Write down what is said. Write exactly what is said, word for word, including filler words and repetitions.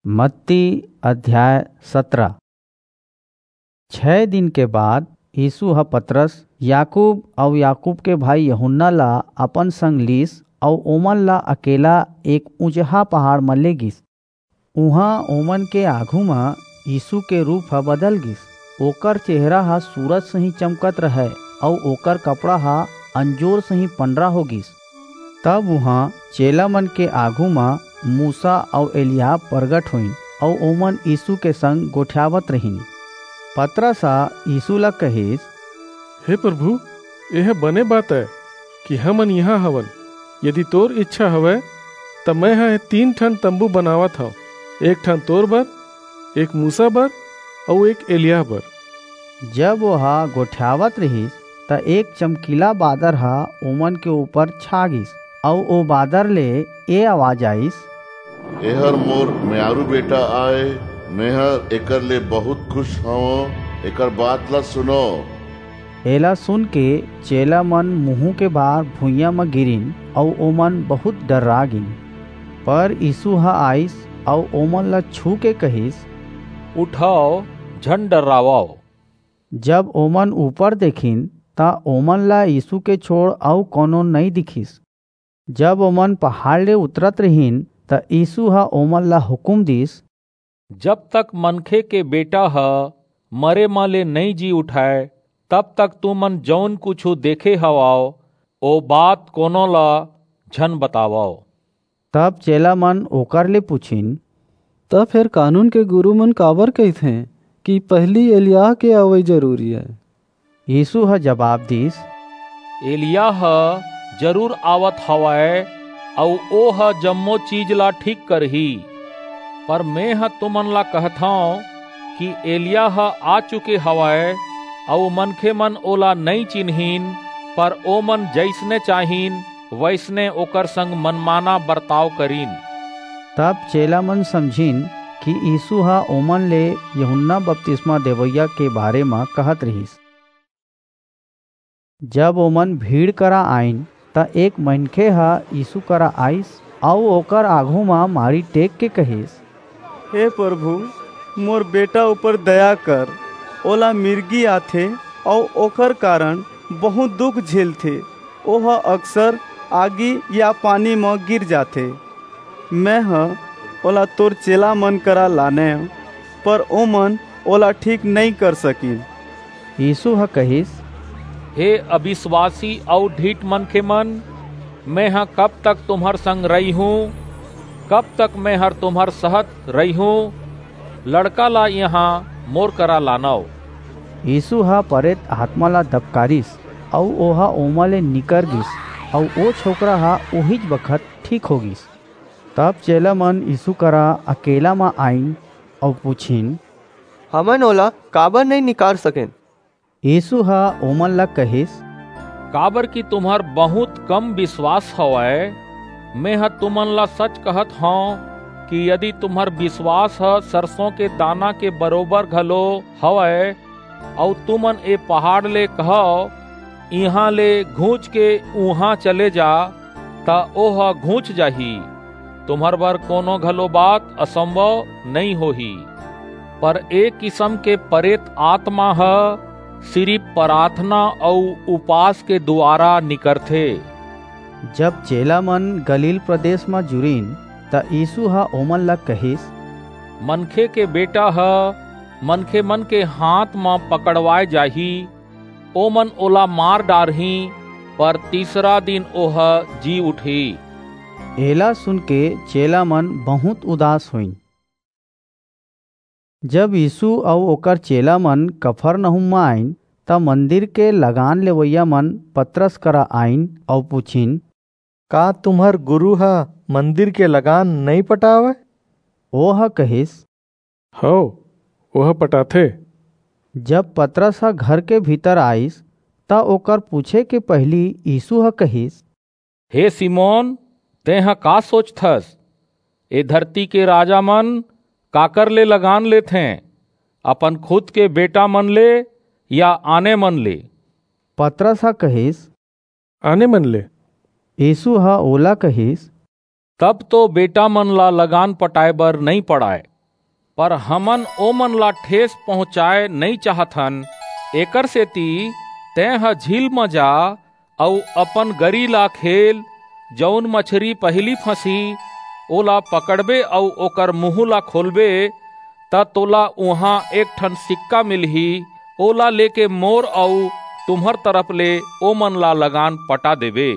मत्ती अध्याय सतरा। छह दिन के बाद यीशु ह पतरस, याकूब अऊ याकूब के भाई यूहन्ना ला अपन संग लीस अऊ ओमन ला अकेला एक ऊंचहा पहाड़ म ले गिस। उहां ओमन के आघू म यीशु के रूप ह बदल गिस। ओकर चेहरा ह सूरज सही चमकत रहय अऊ ओकर कपड़ा ह अंजोर सही पंडरा हो गिस। तब उहां चेला मन के आघू म मूसा अऊ एलियाह प्रगट होइन अऊ ओमन यीशु के संग गोठियावत रहिन। पतरस ह यीशु ला कहिस, "हे प्रभु, एह बने बात अय कि हमन इहां हवन। यदि तोर इच्छा हवय, त मैं ह ए तीन ठन तंबू बनावत हंव, एक ठन तोर बर, एक मूसा बर अऊ एक एलियाह बर।" जब ओह गोठियावत रिहिस, त एक चमकीला बादर ह ओमन के ऊपर छा गिस, अऊ ओ बादर ले ए आवाज आइस, "एहर मोर मयारू बेटा आय, मेहर एकर ले बहुत खुश हवं, एकर बात ला सुनो।" एला सुन के चेला मन मुहूं के भार भुइयां म गिरिन, अऊ ओमन बहुत डर्रा गिन। पर यीशु ह आइस अऊ ओमन ला छू के कहिस, "उठव, झन डर्रावव।" जब ओमन ऊपर देखिन, त ओमन ला यीशु के छोड़ अऊ कोनो नइं दिखिस। जब ओमन पहाड़ ले उतरत रिहिन, त यीशु ह ओमन ला हुकूम दीस, "जब तक मनखे के बेटा ह मरे म ले नइं जी उठय, तब तक तुमन जऊन कुछू देखे हवव, ओ बात कोनो ला झन बतावव।" तब चेला मन ओकर ले पुछिन, "त फेर कानून के गुरू मन काबर कहिथें कि पहिली एलियाह के अवई जरूरी अय?" यीशु ह जबाब दीस, "एलियाह ह जरूर आवत हवय, अऊ ओ ह जम्मो चीज ला ठीक करही। पर मेंह तुमन ला कहथंव कि एलियाह ह आ चुके हवय, अऊ मनखे मन ओला नइं चिन्हिन, पर ओमन जइसने चाहिन, वइसने ओकर संग मनमाना बरताव करिन।" तब चेला मन समझिन कि यीशु ह ओमन ले यूहन्ना बपतिस्मा देवइया के बारे म कहत रिहिस। जब ओमन भीड़ करा आइन, त एक मनखे ह यीशु करा आइस अऊ ओकर आघू म मारी टेक के कहिस, "हे प्रभु, मोर बेटा ऊपर दया कर। ओला मिर्गी आथे अऊ ओकर कारण बहुत दुख झेलथे। ओह अक्सर आगी या पानी म गिर जाथे। मैं ह ओला तोर चेला मन करा लानेंव, पर ओमन ओला ठीक नइं कर सकिन।" यीशु ह कहिस, "हे अबिसवासी अऊ ढीठ मनखे मन, मेंह कब तक तुम्हर संग रहिहूं? कब तक मेंहर तुम्हर सहत रहिहूं? लड़का ला इहां मोर करा लानव।" यीशु ह परेत आतमा ला दबकारिस, अऊ ओह ओमा ले निकर गिस, अऊ ओ छोकरा ह ओहीच बखत ठीक हो गिस। तब चेला मन यीशु करा अकेला म आइन अऊ पुछिन, "हमन ओला काबर नइं निकार सकेन?" यीशु ह ओमन ला कहिस, "काबर कि तुम्हर बहुत कम बिसवास हवय। मेंह तुमन ला सच कहत हंव कि यदि तुम्हर बिसवास ह सरसों के दाना के बरोबर घलो हवय, अऊ तुमन ए पहाड़ ले कहव, 'इहां ले घूंच के उहां चले जा,' त ओह घूंच जाही। तुम्हर बर कोनो घलो बात असंभव नइं होही।" पर ए किसम के परेत आतमा ह सिरिप पराथना अऊ उपास के दुवारा निकरथे। जब चेला मन गलील प्रदेस म जुरिन, त यीसू ह ओमन ला कहिस, मनखे के बेटा ह मनखे मन के हांथ म पकड़वाय जाही, ओमन ओला मार डारहीं, पर तीसरा दिन ओह जी उठही। एला सुनके चेला मन बहुंत उदास होइन। जब यीसू अऊ ओकर चेला मन कफरनहूम म आईन, त मंदिर के लगान लेवइया मन पतरस करा आईन अऊ पुछिन, का तुम्हर गुरू ह मंदिर के लगान नइं पटावय? ओह कहिस, हव, ओह पटाथे। जब पतरस ह घर के भीतर आईस, त ओकर पूछे के पहिली यीसू ह कहिस, हे सिमोन, तेंह का सोचथस? ए धरती के राजा मन काकर ले लगान लेथें, अपन खुद के बेटा मन ले या आने मन ले? पतरस ह कहिस, आने मन ले। यीसू ह ओला कहिस, तब तो बेटा मन ला लगान पटाए बर नइ पड़ाय, पर हमन ओमन ला ठेस पहुँचाए नइ चाहथन। एकर सेती तेंह झील म जा अऊ अपन गरी ला खेल, जऊन मछरी पहिली फंसही, ओला पकड़बे अऊ ओकर मुहूँ ला खोलबे, त तोला उहां एक ठन सिक्का मिलही। ओला लेके मोर अऊ तुम्हर तरफ ले ओमन ला लगान पटा देबे।"